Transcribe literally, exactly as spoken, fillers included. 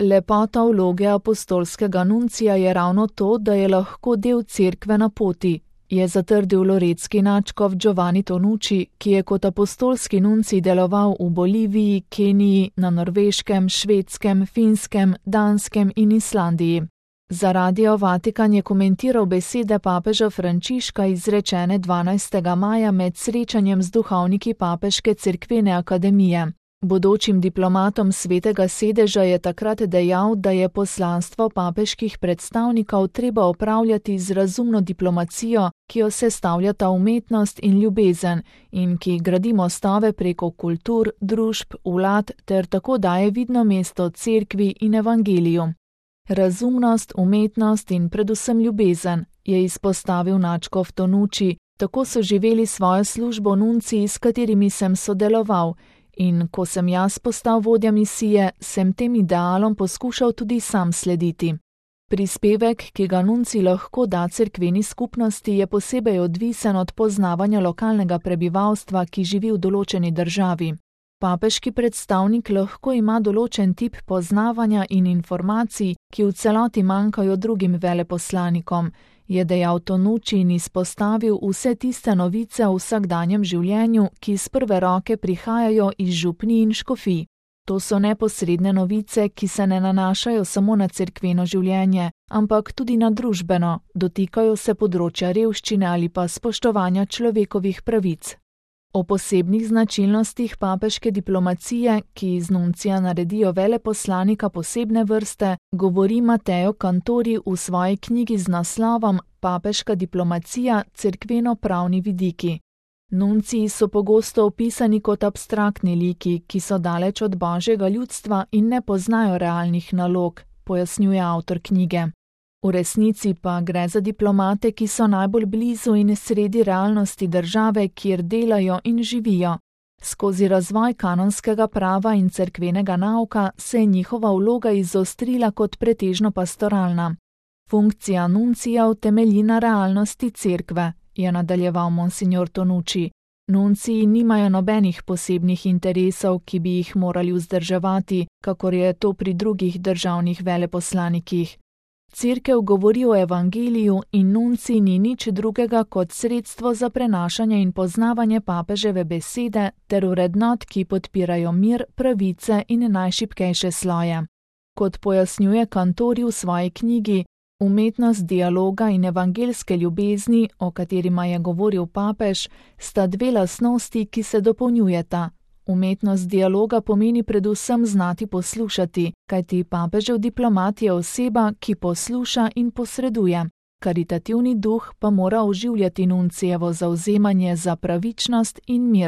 Lepota vloge apostolskega nuncija je ravno to, da je lahko del cerkve na poti, je zatrdil loretski nadškof Giovanni Tonucci, ki je kot apostolski nuncij deloval v Boliviji, Keniji, na Norveškem, Švedskem, Finskem, Danskem in Islandiji. Za Radio Vatikan je komentiral besede papeža Frančiška izrečene dvanajstega maja med srečanjem z duhovniki Papeške cerkvene akademije. Bodočim diplomatom Svetega sedeža je takrat dejal, da je poslanstvo papeških predstavnikov treba opravljati z razumno diplomacijo, ki jo sestavljata umetnost in ljubezen in ki gradi mostove preko kultur, družb, vlad ter tako daje vidno mesto cerkvi in evangeliju. Razumnost, umetnost in predvsem ljubezen, je izpostavil nadškof Tonucci, tako so živeli svojo službo nunciji, s katerimi sem sodeloval, in ko sem jaz postal vodja misije, sem tem idealom poskušal tudi sam slediti. Prispevek, ki ga nuncij lahko da cerkveni skupnosti, je posebej odvisen od poznavanja lokalnega prebivalstva, ki živi v določeni državi. Papeški predstavnik lahko ima določen tip poznavanja in informacij, ki v celoti manjkajo drugim veleposlanikom, je dejal Tonucci in izpostavil vse tiste novice v vsakdanjem življenju, ki iz prve roke prihajajo iz župnij in škofij. To so neposredne novice, ki se ne nanašajo samo na cerkveno življenje, ampak tudi na družbeno, dotikajo se področja revščine ali pa spoštovanja človekovih pravic. O posebnih značilnostih papeške diplomacije, ki iz nuncija naredijo veleposlanika posebne vrste, govori Matteo Cantori v svoji knjigi z naslovom Papeška diplomacija, cerkveno-pravni vidiki. Nunciji so pogosto opisani kot abstraktni liki, ki so daleč od božjega ljudstva in ne poznajo realnih nalog, pojasnjuje avtor knjige. V resnici pa gre za diplomate, ki so najbolj blizu in sredi realnosti države, kjer delajo in živijo. Skozi razvoj kanonskega prava in cerkvenega nauka se je njihova vloga izostrila kot pretežno pastoralna. Funkcija nuncija temelji na realnosti cerkve, je nadaljeval monsignor Tonucci. Nunciji nimajo nobenih posebnih interesov, ki bi jih morali vzdrževati, kakor je to pri drugih državnih veleposlanikih. Cerkev govori o evangeliju in nuncij ni nič drugega kot sredstvo za prenašanje in poznavanje papeževe besede ter vrednot, ki podpirajo mir, pravice in najšibkejše sloje. Kot pojasnjuje Cantori v svoji knjigi, umetnost dialoga in evangelske ljubezni, o katerima je govoril papež, sta dve lastnosti, ki se dopolnjujeta. Umetnost dialoga pomeni predvsem znati poslušati, kajti papežev diplomat je oseba, ki posluša in posreduje. Karitativni duh pa mora oživljati nuncijevo zavzemanje za pravičnost in mir.